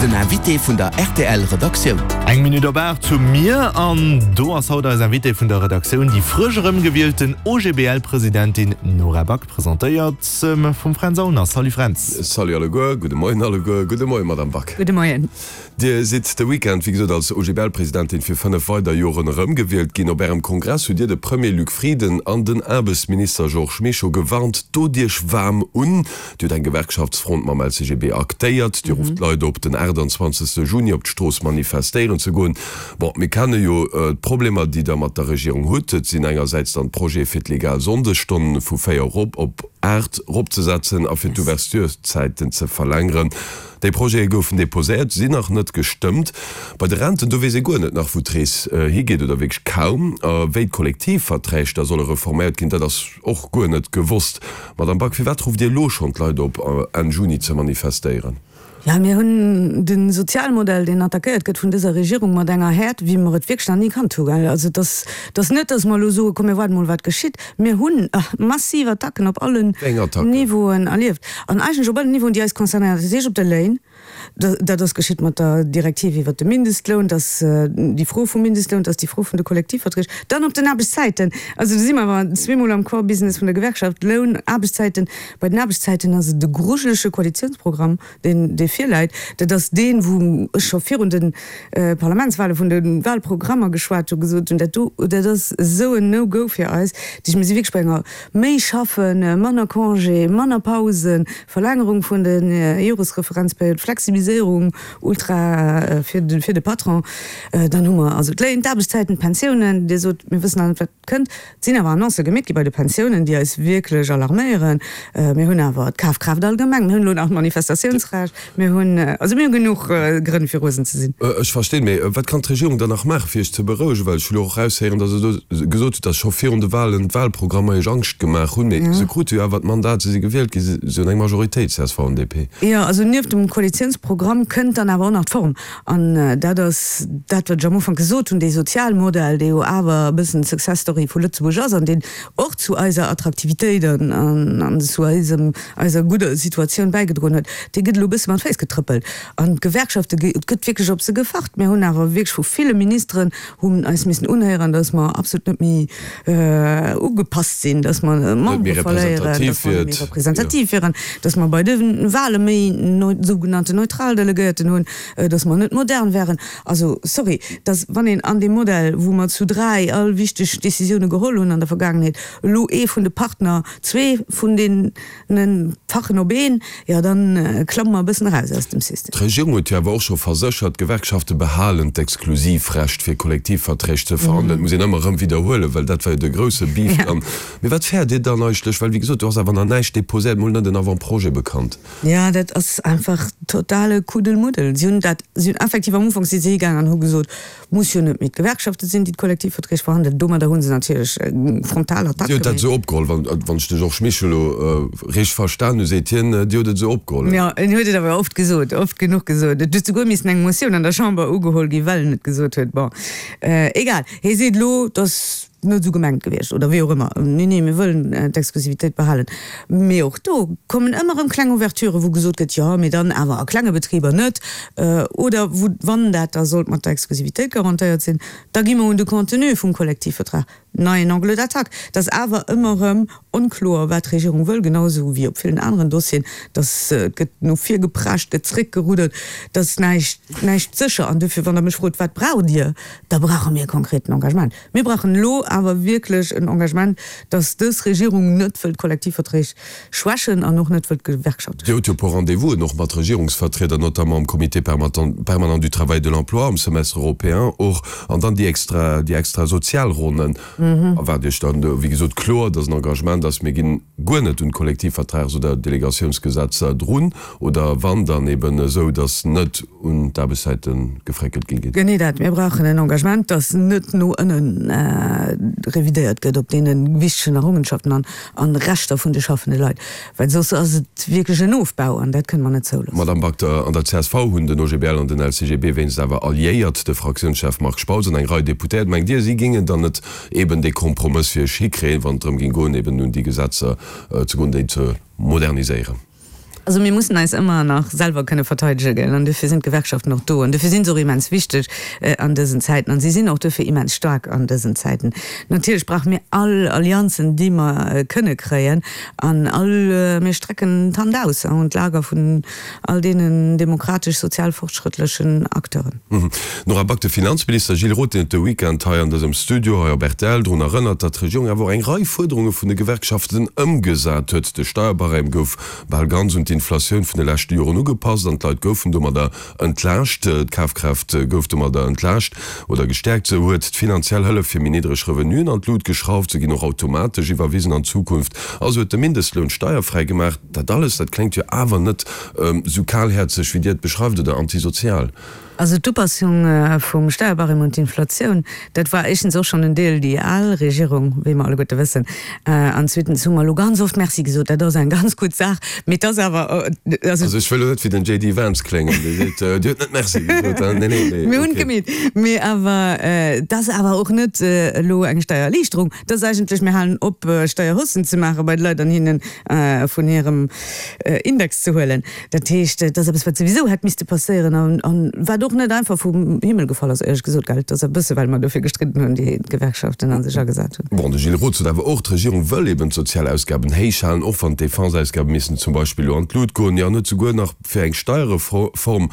Den Invité vun der rtl Redaktioun. Eng Minutt op 8 hu mir an do ass haut eis Invitée vun der Redaktioun, déi frësch erëmgewielten OGBL-Presidentin Nora Back, presentéiert vum Fränz Aulner. Salut Fränz. Salut alleguer, gudde Moien alleguer, gudde Moien Madame Back. Gudde Moien. Dir sidd de Weekend, wéi gesot, als OGBL-Presidentin fir 5 weider Joren erëmgewielt ginn. Op Ärem Kongress hutt Dir de Premier Luc Frieden an den Aarbechtsminister Georges Mischo gewarnt, Dot Iech waarm un! Dir hutt eng Gewerkschaftsfront mam LCGB aktéiert. Dir rufft d'Leit op, den 28. Juni op d'Strooss manifestéieren ze goen. Bon, mir kenne jo d'Problemer, déi Der mat der Regierung hutt. Et sinn engersäits dann d'Projete fir d'legal Sonndesstonn vu 4 erop op 8 eropzesetzen a fir d'Ouvertureszäiten ze verlängeren. Déi Projete goufen deposéiert, sinn nach net gestëmmt. Bei de Renten, do weess ee guer net nach, wou d'Rees higeet oder wierklech kaum. A wéi d'Kollektivverträg da solle reforméiert ginn, dat ass och guer net gewosst. Madamm Back, firwat rufft Dir elo schonn d'Leit op, Enn Juni ze manifestéieren? Jo, mir hunn de Sozialmodell, deen attackéiert gëtt vun dëser Regierung mat enger Häert, wéi mer et wierklech nach ni kannt hu. Also et ass, et ass net, datt mer elo soen, komm mir waarden emol wat geschitt. Mir hunn massiv Attacken op allen Niveauen erlieft an eigentlech op allen Niveauen, déi eis concernéieren. Dat heescht op de Léin, dat ass geschitt mat der Direktiv iwwert de Mindestloun, dat ass déi Fro vum Mindestloun, dat ass déi Fro vun de Kollektivverträg, dann op den Aarbechtszäiten. Also do si mer awer zweemol am Core Business vun der Gewerkschaft, Loun, Aarbechtszäiten. Bei den Aarbechtszäiten ass et e grujelege Koalitionsprogramm, deen dee virläit. Dat ass deen, wou ech scho virun de Parlamentswahle vun de Wahlprogrammer geschwat hu, gesot hunn, dat do, dat ass esou en No-Go fir eis. Dat heescht, mir si wierklech bei enger méi schaffen, manner Congé, manner Pausen, Verlängerung vun de Joresreferenzperiod, Flexibiliséierung ultra fir de Patron. Dann hu mer also d'Léin, d'Aarbechtszäiten, d'Pensiounen. Dir sot, mir wëssen nach net, wat kënnt. Et sinn awer Annoncë gemeet gi bei de Pensiounen, déi eis wierklech alarméieren. Mir hunn awer d'Kafkraaft allgemeng, mir hunn elo nach d'Manifestatiounsrecht, mir hunn, also mir hu genuch Grënn fir rosen ze sinn. Ech verstinn, mee wat kann d'Regierung dann nach maachen, fir Iech ze berouegen? Well ech hu lo och eraushéieren, datt Der do gesot hutt, datt scho virun de Wahlen d'Wahlprogrammer Iech Angscht gemaach hunn. Mee se krute jo awer d'Mandat, se si gewielt ginn, se hunn eng Majoritéit, csv an DP. Jo, also nieft dem Koalitiounsprogramm kënnt dann awer och nach d'Form. An dat ass dat, wat ech am Ufank gesot hunn, dee Sozialmodell, dee jo awer e bëssen d'Success Story vu Lëtzebuerg ass an deen och zu eiser Attraktivitéit an zu eisem, eiser gudder Situatioun bäigedroen huet, dee gëtt elo e bësse mat Féiss getrëppelt. An d'Gewerkschafte, et gëtt wierklech op se gefacht. Mir hunn awer wierklech vu ville Ministeren hunn eis missen unhéieren, datt mer absolut net méi ugepasst sinn, datt mer Membere verléieren, datt mer net méi representativ wieren, datt mer bei de Wahle méi sougenannten neutral Delegéierten hunn, datt mer net modern wären. Also, sorry, datt wann een an deem Modell, wou mer zu 3 all wichteg Décisioune geholl hunn an der Vergaangenheet, elo ee vun de Partner, zwee vun deene Fachen op een, jo dann klamme mer e bëssen eraus aus dem System. D'Regierung huet jo awer och scho verséchert, d'Gewerkschafte behalen d'Exklusivrecht fir Kollektivverträg ze verhandelen. Dat muss een ëmmer erëm widderhuelen, well dat war jo de grousse Beef dann. Mee wat fäert Dir dann eigentlech? Well wéi gesot, do ass awer nach näischt déposéiert, mol net en Avant-projet bekannt. Jo, dat ass einfach totale Kuddelmuddel. Si hunn dat, si hunn effektiv am Ufank si se higaangen an hu gesot, muss jo net méi d'Gewerkschafte sinn, déi d'Kollektivverträg verhandelen. Domadder hu se natierlech eng frontal Attack Dir hutt dat gemaach. esou opgeholl, wann, wann ech de Georges Mischo elo richteg verstan hu, seet hien, Dir hutt et esou opgeholl. Jo, en huet et awer oft gesot, oft genuch gesot. Et huet souguer missen eng Motioun an der Chamber ugeholl ginn, well en et gesot huet. Bon, egal, hie seet elo, dass net esou gemengt gewiescht oder wéi och ëmmer, nee, nee, mir wëllen d'Exklusivitéit behalen. Mee och do kommen ëmmer erëm kleng Ouverturen, wou gesot gëtt, jo, mee dann awer a klenge Betriber net, oder wou, wann dat da sollt mat der Exklusivitéit garantéiert sinn, da gi mer un de Contenu vum Kollektivvertrag, neien Angle d'attaque. Et ass awer ëmmer erëm onkloer, wat d'Regierung wëll, genau esou wéi op villen aneren Dossieren, dass et gëtt no vir geprescht, gëtt zréckgeruddert, et ass näischt, näischt sécher. An duerfir, wann Der mech frot, wat braucht Dir, da brauche mir e konkreten Engagement. Mir brauchen elo awer wierklech en Engagement, dass dës Regierung net wëllt d'Kollektivverträg schwächen an och net wëllt d'Gewerkschafte Dir hutt jo e schwächen. puer Rendez-vousen och mat Regierungsvertrieder, notamment am Comité permanent du travail et de l'emploi, am Semestre européen och, an dann déi extra, déi extra Sozialronnen. Erwaart Iech dann do, wéi gesot, kloer, dass en Engagement ass, mir ginn guer net un d'Kollektivvertrags oder Delegatiounsgesetzer drun, oder wann, dann eben esou, dass net un d'Aarbechtszäite gefréckelt gi ginn. Genee dat. Mir brauchen en Engagement, dass net no ënne revidéiert gëtt op deene wichtegen Errungenschaften an an Rechter vun de schaffende Leit, well soss ass et wierklech en Ofbau an dat kënne mer net zouloossen. Madamm Bakter, an der csv hunn den OGBL an den LCGB wéinst awer alliéiert, de Fraktiounschef Marc Spautz an eng Rei Deputéiert. Mengt Dir, si géingen dann net eben dee Kompromëss fir Iech hikréien, wann et drëm géing goen, eben un déi Gesetzer ze goen, déi ze moderniséieren? Also mir mussen eis ëmmer nach selwer kënne verteidege gell, an dofir sinn d'Gewerkschaften och do an dofir sinn se och immens wichteg an dësen Zäiten an si sinn och dofir immens staark an dësen Zäiten. Natierlech brauche mir all Allianzen, déi mer kënne kréien an all, mir strecken d'Hand aus an d'Lager vun all deenen demokratesch sozial fortschrëttlechen Acteuren. Nora Back, De Finanzminister Gilles Roth huet de Weekend hei an dësem Studio hei op rtl drun erënnert, datt d'Regierung awer och eng Rei Fuerderunge vun de Gewerkschaften ëmgesat huet. De Steierbarème gouf bal ganz un d'Inflatioun vun de leschte Joren ugepasst an d'Leit goufen domadder entlaascht. D'Kafkraaft gouf domadder entlaascht oder gestäerkt. Sou huet d'finanziell Hëllef fir méi niddreg Revenuen an d'Lut geschrauft. Se ginn och automatesch iwwerwisen an Zukunft. A se huet de Mindestloun steierfräi gemaach. Dat alles, dat kléngt jo awer net sou kalhäerzeg, wéi Dir et beschreift, oder antisozial. Also d'Upassung vum Steierbarème un d'Inflatioun, dat war éischtens och schonn en Deel déi al Regierung, wéi mer alleguerte wëssen, an zweetens hu mer elo ganz oft Merci gesot. Dat ass eng ganz gutt Saach, mee et ass awer, also. Also ech wëll elo net wéi den JD Vance kléngen, dee seet, Dir hutt net Merci gesot, hein? Nee, nee, mee Mir hunn et okay. gemeet. Mee awer et ass awer och net elo eng Steiererliichterung. Et ass eigentlech, mir halen op, Steierhaussen ze maache bei de Leit an hinne vun hirem Index ze huelen. Dat heescht, et ass eppes, wat souwisou hätt misste passéieren an wat och net einfach vum Himmel gefall ass, éierlech gesot, gell. Et ass e bësse well mer dofir gestridden hunn, déi d'Gewerkschaften a sech agesat hunn. Bon, de Gilles Roth sot awer och, d'Regierung wëll eben d'sozial Ausgaben héich halen, och wann d'Defense-Ausgabe missten zum Beispill elo an d'Lut goen. Jo, an huet souguer nach fir eng Steierreform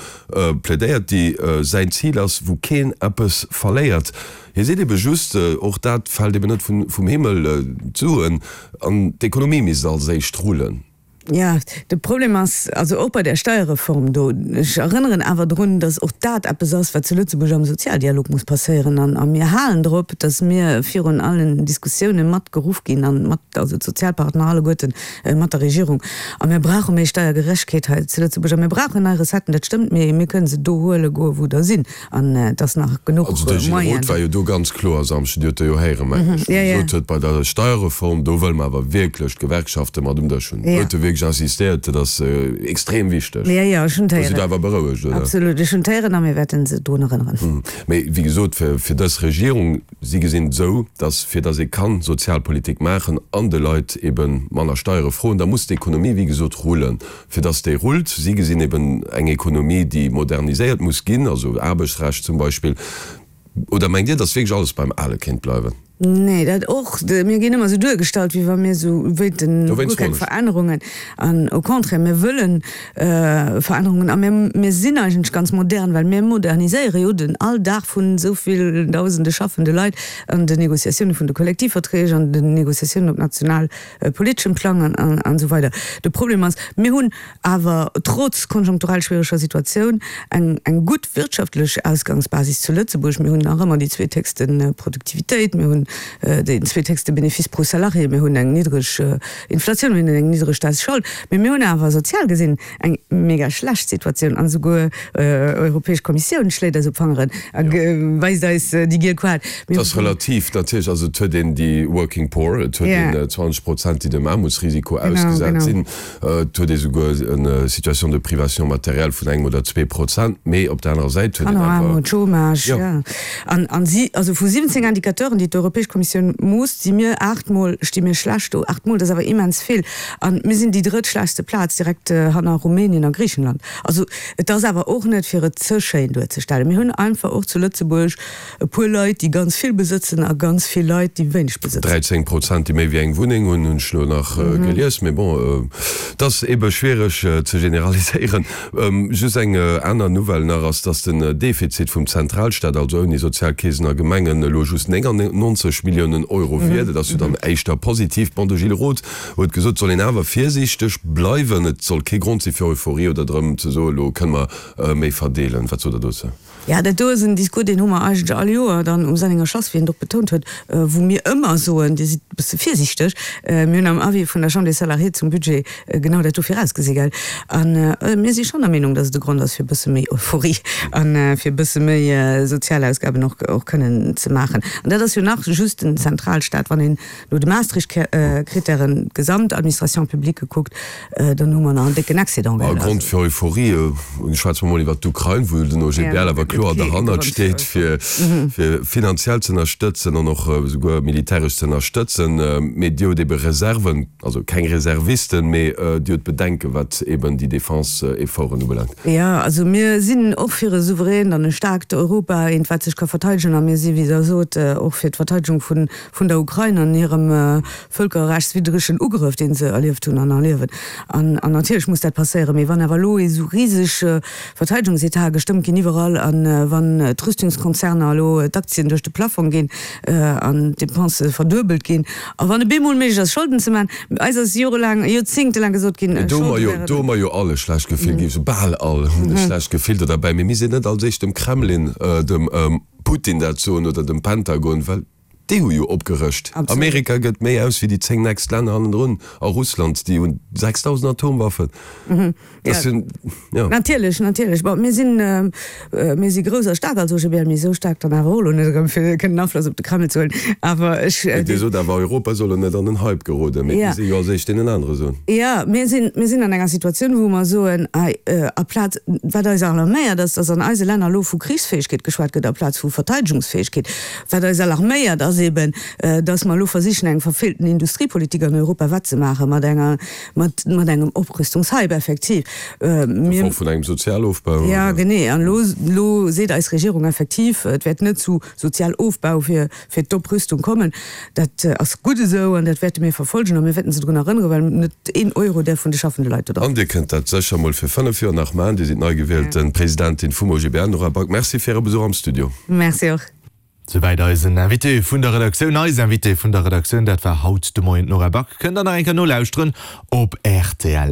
plädéiert, déi säin Zil ass, wou keen eppes verléiert. Hie seet ebe just, och dat fält eben net vum Himmel, d'Suen an d'Ekonomie misst als éischt rullen. Jo, de Problem ass, also och bei där Steierreform do, ech erënneren awer drun, datt och dat eppes ass, wat zu Lëtzebuerg am Sozialdialog muss passéieren. An a mir halen drop, datt mir virun allen Diskussioune mat geruff ginn an mat, also d'Sozialpartner alleguerten, mat der Regierung. A mir brauche méi Steiergerechtegkeet hei zu Lëtzebuerg a mir brauchen nei Recetten, dat stëmmt, mee mir kënnen se do huele goe wou der sinn. An et ass nach genuch Also de Gilles Roth war jo do ganz kloer e Samschden, Dir hutt e jo héieren, mengen ech, wou e gesot huet, bei der Steierreform, do wëlle mer awer wierklech d'Gewerkschafte mat um Dësch hunn. Do huet e wierklech insistéiert, dat ass extrem wichteg. Jo, jo, ech hunn Do sidd Der awer berouegt, oder? Absolut, ech hunn d'Héieren a mir wäerte se drun erënneren. Mee wéi gesot, fir dës Regierung, si gesinn et esou, datt fir datt ee kann Sozialpolitik maachen an de Leit ebe manner Steiere froen, da muss d'Ekonomie, wéi gesot, rullen. Fir dass déi rullt. Si gesinn eben eng Ekonomie, déi moderniséiert muss ginn, also Aarbechtsrecht zum Beispill. Oder mengt Dir, dass wierklech alles beim Ale kéint bleiwen? Nee, dat och. Mir ginn ëmmer esou duergestallt, wéi wa mir esou wéilten guer keng Verännerungen. An au contraire, mir wëlle Verännerungen. A mir, mir sinn eigentlech ganz modern, well mir moderniséiere jo den Alldag vun esou vill Dausende schaffende Leit an den Négociatioune vun de Kollektivverträg, an den Négociatiounen op national politeschem Plang an esou weider. De Problem ass, mir hunn awer trotz konjunkturell schwiereger Situatioun eng eng gutt wirtschaftlech Ausgangsbasis zu Lëtzebuerg. Mir hunn nach ëmmer déi zweethéchste Produktivitéit, mir hunn deen zweethéchste Bénéfice pro Salarié, mir hunn eng niddreg Inflatioun, mir hunn eng niddreg Staatsschold, mee mir hunn awer sozial gesinn eng mega schlecht Situatioun an esouguer Europäesch Kommissioun schléit eis op d'Fangeren a weist eis déi giel Koart. Et ass relativ natierlech, also et huet een déi Working Poor, et huet een 20 Prozent, déi dem Aarmutsrisiko ausgesat sinn, et huet ee souguer eng Situation de privation matérielle vun engem oder 2%, mee op der anerer Säit huet een awer. Kannerarmut, Chômage, jo. An an si, also vu 17 Indicateuren, déi d'Europäesch Kommissioun moosst, si mir aachtmol, sti mir schlecht do. Aachtmol, dat ass awer immens vill. A mir sinn déi drëttschlechtste Plaz, direkt hanner Rumänien a Griichenland. Also et ass awer och net, fir et ze schéin duerzestellen. Mir hunn einfach och zu Lëtzebuerg e puer Leit, déi ganz vill besëtzen a ganz vill Leit, déi wéineg besëtzen. 13 Prozent, déi méi wéi eng Wunneng hunn, hunn ech elo nach gelies. Mee bon, et ass eebe schwiereg ze generaliséieren. Just eng aner Nouvelle nach ass, dass den Defizit vum Zentralstaat, also ouni Sozialkeesen a Gemengen, elo just 99 Milliounen Euro wier. Dat ass jo dann éischter positiv. Bon, de Gilles Roth huet gesot, et soll een awer virsiichteg bleiwen. Et soll kee Grond si fir Euphorie oder drëm ze soen, elo kënne mer méi verdeelen. Wat sot Der dozou? Jo, dat do ass en Discours, deen hu mer eigentlech all Joer dann um Sennenger Schlass, wéi en et och betount huet, wou mir ëmmer soen, Dir sidd e bësse virsiichteg. Mir hunn am Avis vun der Chambre des Salariés zum Budget genau dat do virausgesi, gell? A mir si schonn der Meenung, datt et e Grond ass fir e bësse méi Euphorie a fir e bësse méi Sozialausgaben och kënnen ze maachen. An dat ass jo nach. just den Zentralstaat. Wann een no de Maastricht-Krittären d'gesamt Administration publique kuckt, dann hu mer nach en décken Excédent. E Grond fir Euphorie, schwätze mer mol iwwert d'Ukrain, wou den OGBL awer kloer derhannert steet, fir finanziell ze ënnerstëtzen an och esouguer militäresch ze ënnerstëtzen. Mee Dir hutt ebe Reserven, also keng Reservisten, mee Dir hutt Bedenken, wat eben déi Defense-Efforten ubelaangt. Jo, also mir sinn och fir e souveränt an e staarkt Europa, eent wat sech ka verteidegen. A mir si wéi Der sot och fir d'Verteidegung vun der Ukrain an hirem vëlkerrechtswiddregen Ugrëff, dee se erlieft hunn an erliewen. An natierlech muss dat passéieren. Mee wann awer elo esou riseg Verteidegungsetate gestëmmt ginn iwwerall a wann d'Rüstungskonzerner elo d'Aktien duerch de Plafong ginn an d'Depensë verduebelt ginn a wann e bemol méiglech ass Scholden ze maachen, eis ass jorelaang, joerzéngtelaang gesot ginn, Do hu mer jo, do hu mer jo all e schlecht Gefill ginn, esou bal all hunn e schlecht Gefill do derbäi. Mee mir sinn net als éischt dem Kremlin, dem Putin dat soen oder dem Pentagon, well Déi hu jo opgerëscht. Amerika gëtt méi aus wéi déi 10 nächst Länner hannendrun a Russland, déi hunn 6.000 Atomwaffen. Dat sinn, jo. Natierlech, natierlech. Bon, mir sinn, mir si grouss a staark als OGBL, mee esou staark dann awer och elo net erëm, fir kënnen Afloss op de Kreml ze huelen. Awer ech. Mee Dir sot awer, Europa soll elo net an den Hype geroden. Mee mir si jo als éischt deenen anere soen. Jo, mir sinn, mir sinn an enger Situatioun, wou mer soen, hei, aplaz, wat eis alarméiert ass, datt an eise Länner elo vu Krichsfäegkeet geschwat gëtt aplaz vu Verteidegungsfäegkeet. Wat eis alarméiert, ass eben, dass mer elo versichen, eng verfeelten Industriepolitik an Europa wettzemaachen, mat enger, mat, mat engem Oprüstungshype effektiv. Mir. Gefor vun engem Sozialofbau, oder? Ja, genee. An elo, elo seet eis Regierung effektiv, et wäert net zu Sozialofbau fir, fir d'Oprüstung kommen. Dat ass gutt esou an dat wäerte mir verfolgen a mir wäerten se drun erënneren, well net een Euro däerf vun de schaffende Leit do drop. An Dir kënnt dat sécher mol fir 5 Joer nach maachen. Dir sidd nei gewielte Presidentin vum OGBL. Nora Back, Merci fir Äre Besuch am Studio. Merci och. Souwäit eisen Invité vun der Redaktioun. Eis Invitée vun der Redaktioun, dat war haut de Moien d'Nora Back. Kënnt der nach eng Kéier nolauschteren op rtl.